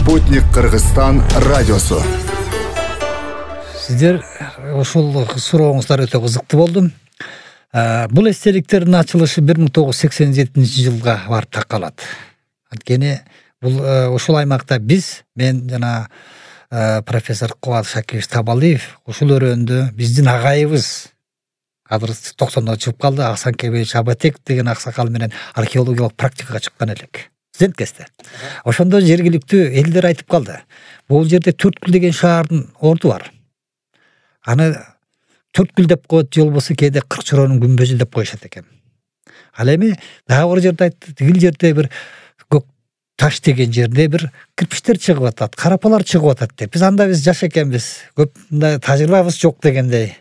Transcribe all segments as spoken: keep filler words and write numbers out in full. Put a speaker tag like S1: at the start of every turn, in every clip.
S1: Спутник Кыргызстан радиосу.
S2: Сиздер ошол сурооңуздар өтө кызыктуу болду. Бул эстеликтердин ачылышы бир миң тогуз жүз сексен жетинчи жылга барып такалат. Анткени бул ошол аймакта биз, мен жана профессор Кубат Шакирович Табалиев ушул өрөөндө биздин агайыбыз азыр токсондо чыгып калды, Асан Кебеевич Абатек деген аксакал менен археологиялык практикага чыккан элек. Студент кезде. Ошондо жергиликтүү элдер айтып калды. Бул жерде Төрткүл деген шаардын орду бар. Аны Төрткүл деп коет, же болбосо кээде Кыркчоронун күмбөзү деп коюшат экен. Ал эми дагы бир жерде айтты, тигил жерде бир көк таш деген жерде бир кирпичтер чыгып атат, карапалар чыгып атат деп. Биз анда биз жаш экенбиз, көп мындай тажрыйбабыз жок дегендей.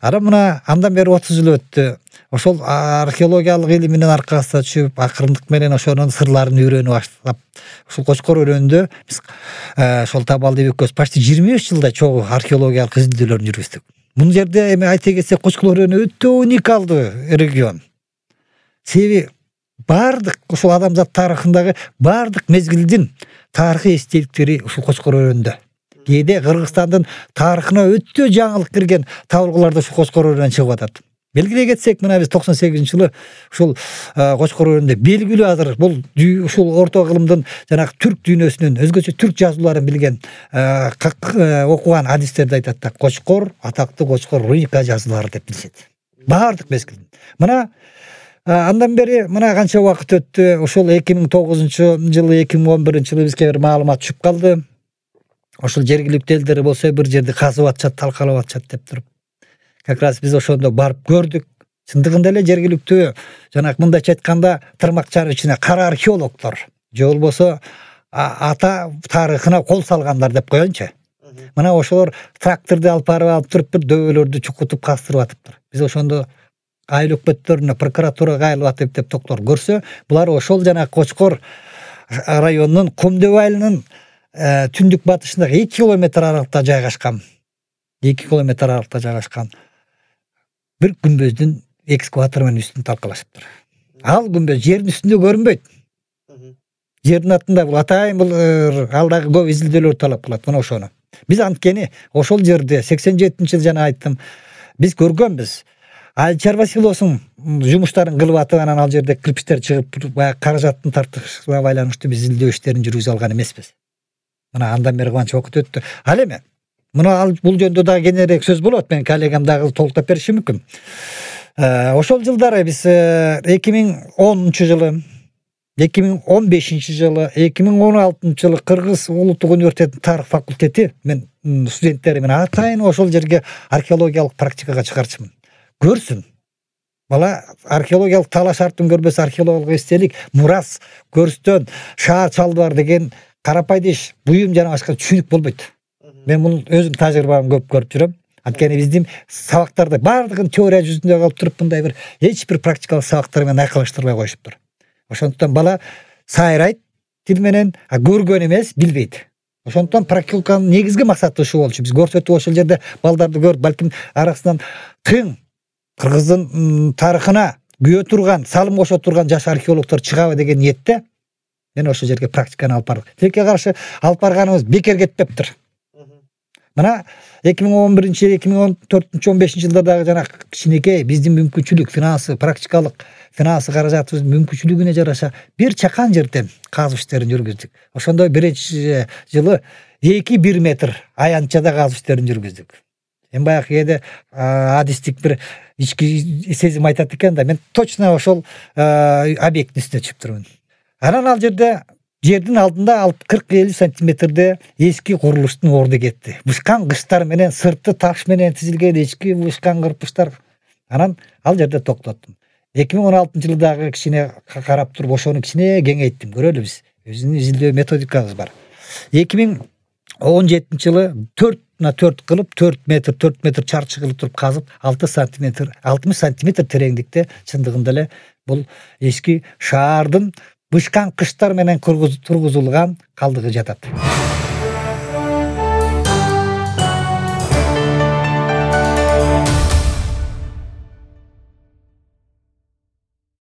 S2: Ара мына андан бери отуз жыл өттү. Ошол археологиялык илиминин аркасында түшүп, акырындык менен ошонун сырларын үйрөнүп баштап, ушул Кочкор өрөөнүндө биз ошол Табалиев экөөбүз почти жыйырма беш жылдай чогуу археологиялык изилдөөлөрүн жүргүздүк. Бул жерде эми айта кетсек, Кочкор өрөөнү өтө уникалдуу регион. Себеби бардык ушул адамзат тарыхындагы бардык мезгилдин тарыхый эстеликтери ушул Кочкор өрөөнүндө. Кээде Кыргызстандын тарыхына өтө жаңылык кирген табылгылар да ушул Кочкор өрөөнүнөн чыгып атат. Белгилей кетсек, мына биз токсон сегизинчи жылы ушул Кочкор өрөөнүндө белгилүү азыр бул ушул орто кылымдын жанагы түрк дүйнөсүнүн өзгөчө түрк жазууларын билген окуган адистерди айтат да, Кочкор, атактуу Кочкор руника жазуулары деп билишет. Бардык мезгил. Мына андан бери мына канча убакыт өттү. Ошол эки миң тогузунчу жылы, эки миң он биринчи жылы бизге бир маалымат түшүп калды. Ошол жергиликтүү элдер болсо бир жерди казып атышат, талкалап атышат деп туруп. Как раз биз ошондо барып көрдүк. Чындыгында эле жергиликтүү жанагы мындайча айтканда тырмакчанын ичине кара археологдор, же болбосо ата тарыхына кол салгандар деп коеюнчу. Мына ошолор тракторду алып барып алып туруп бир дөбөлөрдү чукутуп кастырып атыптыр. Биз ошондо айыл өкмөттөрүнө, прокуратурага айлып атып деп доктор көрсө, булар ошол жанагы Кочкор районунун Кумдөб айылынын түндүк батышындагы эки километр аралыкта жайгашкан. эки километр аралыкта жайгашкан бир күмбөздүн экскаватор менен үстүн талкалашыптыр. Ал күмбөз жердин үстүндө көрүнбөйт. Жердин астында бул атайын бул алдагы көп изилдөөлөр талап кылат. Мына ошону. Биз анткени ошол жерде сексен жетинчи жыл жана айттым, биз көргөнбүз. Айчар Василовдун жумуштарын кылып атып, анан ал жерде кирпичтер чыгып, баягы каражаттын тартышына байланыштуу биз изилдөө иштерин жүргүзө алган эмеспиз. Мына андан бери канча убакыт өттү. Ал эми мына ал бул жөнүндө дагы кененирээк сөз болот, мен коллегам дагы толуктап бериши мүмкүн. Ошол жылдары биз эки миң онунчу жылы, эки миң он бешинчи жылы, эки миң он алтынчы жылы Кыргыз улуттук университетинин тарых факультети мен студенттери менен атайын ошол жерге археологиялык практикага чыгарчымын. Көрсүн. Бала археологиялык талаш артын көрбөс, археологиялык эстелик, мурас, көрстөн, шаар чалдыбар деген карапайда иш, буюм жана башка түшүнүк болбойт. Мен муну өзүм тажрыйбам көп көрүп жүрөм. Анткени биздин сабактарда бардыгын теория жүзүндө калып туруп, мындай бир эч бир практикалык сабактар менен айкалыштырбай коюшуптур. Ошондуктан бала сайрайт тил менен, а көргөн эмес, билбейт. Ошондуктан практиканын негизги максаты ушул болчу. Биз көрсөтүп ошол жерде балдарды көрүп, балким арасынан тың Кыргыздын тарыхына күйө турган, салым кошо турган жаш археологдор чыгабы деген ниетте мен ошол жерге практиканы алып бардык. Тилекке каршы алып барганыбыз бекер кетпептир. Мына эки миң он биринчи, эки миң он төртүнчү, он бешинчи жылдардагы жана кичинекей биздин мүмкүнчүлүк, финансы, практикалык финансы каражатыбыздын мүмкүнчүлүгүнө жараша бир чакан жерден казуу иштерин жүргүздүк. Ошондо биринчи жылы эки бир метр аянтчада казуу иштерин жүргүздүк. Эми баягы кээде адистик бир ички сезим айтат экен да, мен точно ошол объекттин үстүнө түшүп турмун. Анан ал жерде жердин алдында кырк элүү сантиметрде эски курулуштун орду кетти. Бышкан кыштар менен, сырты таш менен тизилген эчки бышкан кырпычтар. Анан ал жерде токтоттум. эки миң он алтынчы жылы дагы кичине карап туруп, ошону кичине кеңейттим. Көрөлү биз. Өзүнүн изилдөө методикабыз бар. эки миң он жетинчи жылы төртүнө төрт кылып, төрт метр, төрт метр чарчы кылып туруп казып, алты сантиметр, алтымыш сантиметр тереңдикте чындыгында эле бул эски шаардын бышкан кыштар менен тургузулган калдыгы жатат.